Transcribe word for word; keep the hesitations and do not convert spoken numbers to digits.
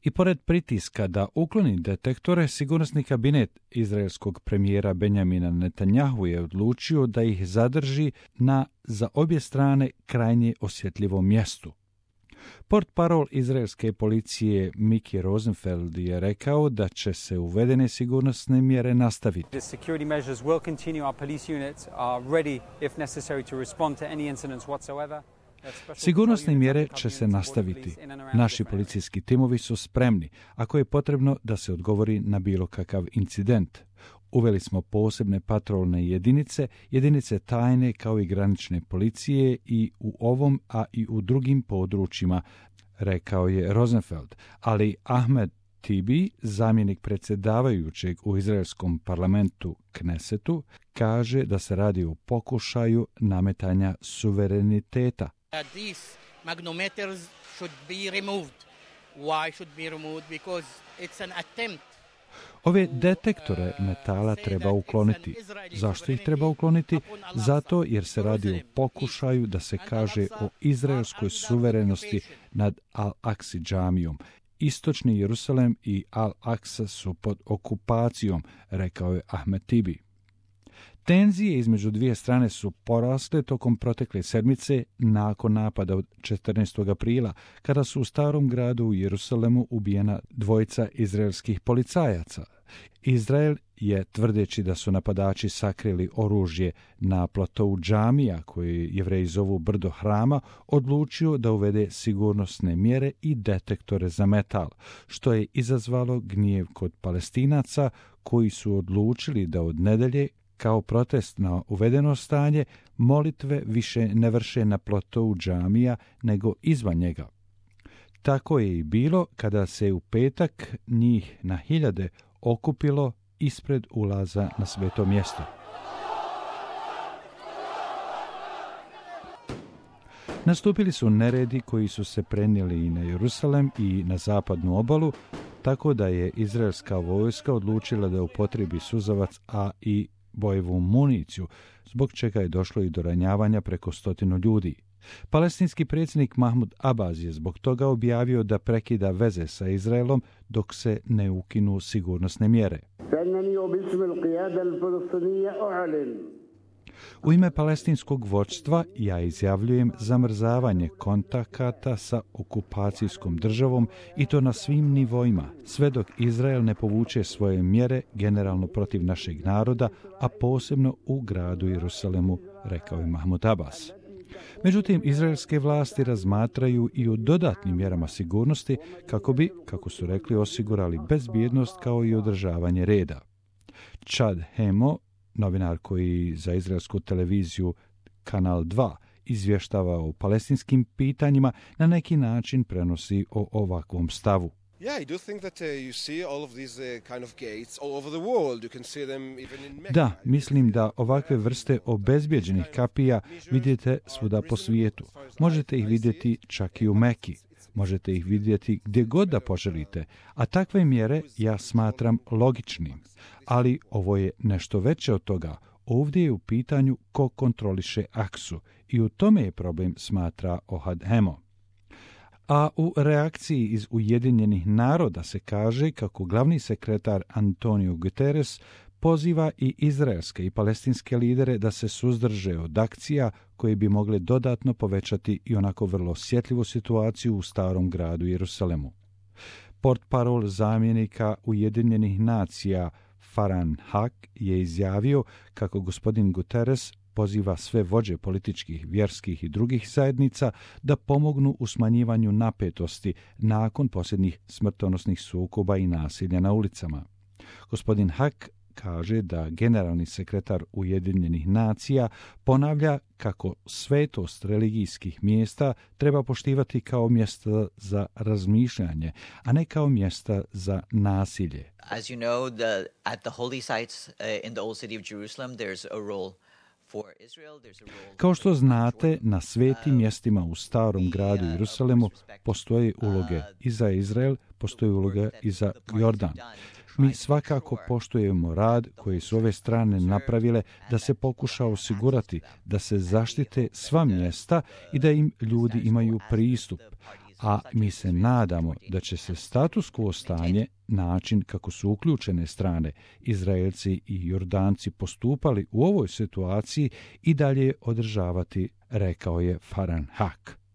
I pored pritiska da ukloni detektore, sigurnosni kabinet izraelskog premijera Benjamina Netanjahu je odlučio da ih zadrži na za obje strane krajnje osjetljivom mjestu. Portparol izraelske policije Miki Rosenfeld je rekao da će se uvedene sigurnosne mjere nastaviti. Sigurnosne mjere će se nastaviti. Naši policijski timovi su spremni, ako je potrebno da se odgovori na bilo kakav incident. Uveli smo posebne patrolne jedinice, jedinice tajne kao i granične policije i u ovom, a i u drugim područjima, rekao je Rosenfeld. Ali Ahmed Tibi, zamjenik predsjedavajućeg u izraelskom parlamentu Knesetu, kaže da se radi o pokušaju nametanja suvereniteta. These magnetometers should be removed. Why should be removed? Because it's an attempt. Ove detektore metala treba ukloniti. Zašto ih treba ukloniti? Zato jer se radi o pokušaju da se kaže o izraelskoj suverenosti nad Al-Aksi džamijom. Istočni Jerusalem i Al-Aksa su pod okupacijom, rekao je Ahmed Tibi. Tenzije između dvije strane su porasle tokom protekle sedmice nakon napada od četrnaestog aprila, kada su u starom gradu u Jerusalemu ubijena dvojica izraelskih policajaca. Izrael je, tvrdeći da su napadači sakrili oružje na platovu džamija, koji Jevreji zovu brdo hrama, odlučio da uvede sigurnosne mjere i detektore za metal, što je izazvalo gnjev kod Palestinaca koji su odlučili da od nedelje, kao protest na uvedeno stanje, molitve više ne vrše na platovu džamija nego izvan njega. Tako je i bilo kada se u petak njih na hiljade okupilo ispred ulaza na sveto mjesto. Nastupili su neredi koji su se prenijeli i na Jerusalem i na zapadnu obalu, tako da je izraelska vojska odlučila da upotrebi suzavac, a i bojevu municiju, zbog čega je došlo i do ranjavanja preko stotinu ljudi. Palestinski predsjednik Mahmud Abbas je zbog toga objavio da prekida veze sa Izraelom dok se ne ukinu sigurnosne mjere. U ime palestinskog vođstva ja izjavljujem zamrzavanje kontakata sa okupacijskom državom i to na svim nivoima, sve dok Izrael ne povuče svoje mjere generalno protiv našeg naroda, a posebno u gradu Jerusalemu, rekao je Mahmud Abbas. Međutim, izraelske vlasti razmatraju i o dodatnim mjerama sigurnosti kako bi, kako su rekli, osigurali bezbjednost kao i održavanje reda. Chad Hemo, novinar koji za izraelsku televiziju Kanal dva izvještava o palestinskim pitanjima, na neki način prenosi o ovakvom stavu. Da, mislim da ovakve vrste obezbjeđenih kapija vidite svuda po svijetu. Možete ih vidjeti čak i u Meki. Možete ih vidjeti gdje god da poželite, a takve mjere ja smatram logičnim. Ali ovo je nešto veće od toga. Ovdje je u pitanju ko kontroliše Aksu i u tome je problem, smatra Ohad Hemo. A u reakciji iz Ujedinjenih naroda se kaže kako glavni sekretar Antonio Guterres poziva i izraelske i palestinske lidere da se suzdrže od akcija koje bi mogle dodatno povećati i onako vrlo osjetljivu situaciju u starom gradu Jerusalemu. Portparol zamjenika Ujedinjenih nacija Farhan Haq je izjavio kako gospodin Guterres poziva sve vođe političkih, vjerskih i drugih zajednica da pomognu u smanjivanju napetosti nakon posljednjih smrtonosnih sukoba i nasilja na ulicama. Gospodin Haq kaže da generalni sekretar Ujedinjenih nacija ponavlja kako svetost religijskih mjesta treba poštivati kao mjesta za razmišljanje, a ne kao mjesta za nasilje. As you know, the, at the holy sites uh, in the old city of Jerusalem, there's a role. Kao što znate, na svetim mjestima u starom gradu Jerusalemu postoje uloge i za Izrael, postoje uloga i za Jordan. Mi svakako poštujemo rad koji su ove strane napravile da se pokuša osigurati da se zaštite sva mjesta i da im ljudi imaju pristup. a mi se nadamo da će se status quo stanje, način kako su uključene strane, Izraelci i Jordanci postupali u ovoj situaciji i dalje održavati, rekao je Farhan Haq.